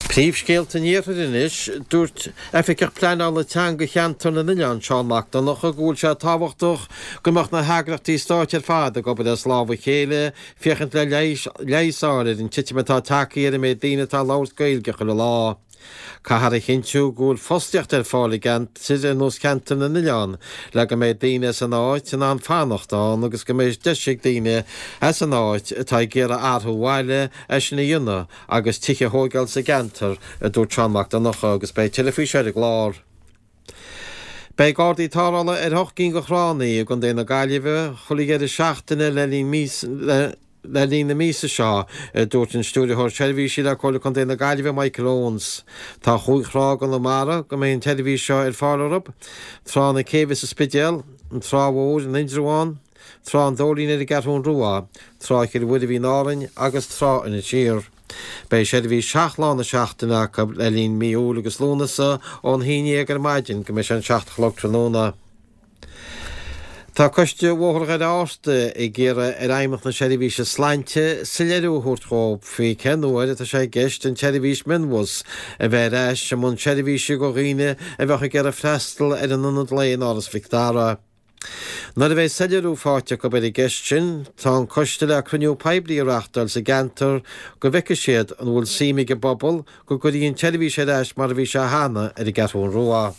Príomhscéalta an Iarthair anois, Dúirt Oifigeach Pleanála Teanga Cheantar na nOileán, Seán Mac Donncha, go bhfuil sé tábhachtach go mbeadh na heagraíochtaí stáit ar fad ag obair as lámh a chéile féachaint le leigheas a fháil ar an titim atá tagtha ar an méid daoine atá ag labhairt Gaeilge chuile lá. Caithfear a chinntiú go bhfuil fostaíocht ar fáil i gceantair ar nós Cheantar na nOileán le go mbeidh daoine as an áit in ann fanacht ann agus go mbeidh deis ag daoine as an áit atá ag iarraidh athrú abhaile é sin a dhéanamh agus tithe a thóigeáil sa gceantar, a dúirt Seán Mac Donncha agus beidh tuilleadh faoi seo ar an gclár. Beidh Gardaí tarrthála ar hocht gcinn de thránna i gContae na Gaillimhe chuile dheireadh seachtaine le linn le linn na míosa seo, a dúirt an Stiúrthóir Seirbhísí le Comhairle Contae na Gaillimhe, Michael Owens. Tá chúig thrá i gConamara go mbeidh an tseirbhís seo ar fáil orthu, Trá na Céibhe sa Spidéal, an Trá Mhór in Indreabhán, Trá an Dóilín ar an gCeathrún Rua, Trá Chill Mhuirbhigh in Árainn agus Trá Inis Oírr. Beidh seirbhís seacht lá na seachtaine acu le linn mí Iúil agus Lúnasa ón haon dhéag ar maidin go mbeidh sé an 7 a chlog tráthnóna. Tá Coiste Bhóthar Dhoire Fhárta ag iarraidh ar Fheidhmeannacht na Seirbhíse Sláinte soiléiriú a thabhairt dhóibh faoi cén uair atá sé i gceist an tseirbhís mionbhus a bheith ar ais i mbun seirbhíse do dhaoine a bheadh ag iarraidh freastal ar an ionad lae in Áras Mhic Dara. Nuair a bheidh soiléiriú faighte acu ar an gceist sin, tá an coiste le cruinniú poiblí a reachtáil sa gceantar go bhfeicfidh siad an bhfuil suim ag an bpobal go gcuirfí an tseirbhís ar ais mar a bhí sé cheana ar an gCeathrún Rua.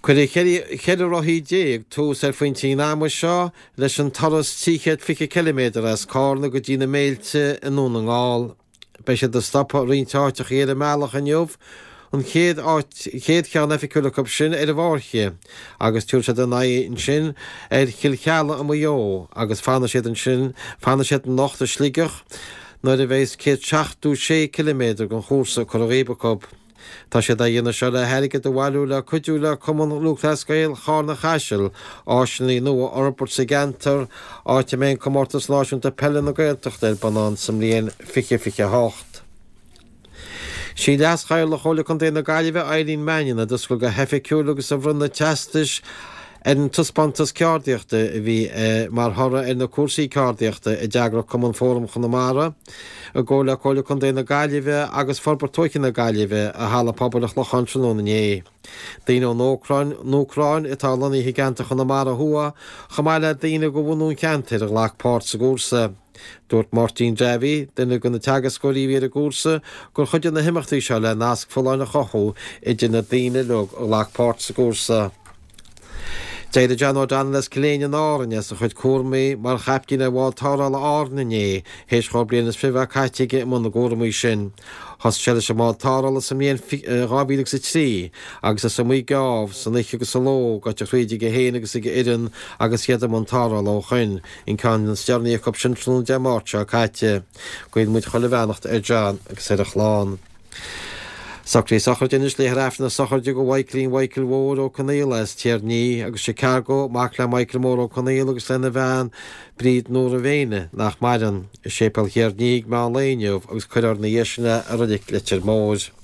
Cuirfidh 14 rothaí tús ar phointí an ama seo leis an turas 320 ciliméadar as Cárna go dtí na Méilte i nDún na nGall. Beidh siad ag stopadh i roinnt áiteachaí ar an mbealach inniu, an chéad áit, chéad cheann oifigiúil acu sin ar an bhFáirche, agus tabharfaidh siad a n-aghaidh ansin ar Chill Cheallaigh i Maigh Eo agus fanfaidh siad ansin, fanfaidh siad anocht i Sligeach nuair a bheas 176 ciliméadar den chúrsa curtha dhíob acu. Tá siad á dhéanamh seo le hairgead a bhailiú le cuidiú le Cumann Lúthchleas Gael Charna Chaisil áiseanna nua a fhorbairt sa gceantar, áit a mbeidh an Comórtas Náisiúnta Peile na Gaeltachta ar bun ann sa mbliain 2028. Sí Leas-Chathaoirleach Chomhairle Contae na Gaillimhe, Eileen Mannion, a d'oscail go hoifigiúil agus a bhronn na teastais ar an taispeántas ceardaíochta a bhí mar thoradh ar na cúrsaí ceardaíochta a d'eagraigh Cumann Fóram Chonamara i gcomhar le Comhairle Contae na Gaillimhe agus Forbairt Tuaithe na Gaillimhe i Halla Pobail an Chlocháin tráthnóna inné. Daoine ón Úcráin, Úcráin atá lonnaithe i gceantar Chonamara Thuaidh, chomh maith le daoine de bhunú an cheantair a ghlac páirt sa gcúrsa. Dúirt Máirtín Davy, duine de na teagascóirí a bhí ar an gcúrsa, gur chuidigh na himeachtaí seo le nasc folláin a chothú idir na daoine uilig a ghlac páirt sa gcúrsa. D'éirigh John O'Donnell as Cill Éinne in Árainn as a chuid cúramaí mar chaiptín ar bhád tarrthála Árann inné, théis dhó bliain is fiche a bheith caite aige i mbun na gcúramaí sin. Thosaigh sé leis an mbád tarrthála sa mbliain 2003 agus is iomaí geábh, san oíche agus sa ló, gaibhte thríd aige féin agus ag a fhoireann agus iad i mbun tarrthála ó shoin, an ceann is deireanaí acu sin tráthnóna Dé Máirt seo caite. Guíonn muid chuile bheannacht ar John agus ar a chlann. Socruithe sochraide anois Léifear Aifreann na sochraide do Mhaidhcilín Mhichael Mhóir Ó Conaola as Tír an Fhia agus Chicago, mac le Michael Mór Ó Conaola agus lena bhean Bríd Nóra Mhéine, nach maireann, i Séipéal Thír an Fhia ag meán lae inniu agus cuirfear ina dhiaidh sin é i Reilig Leitir Móir.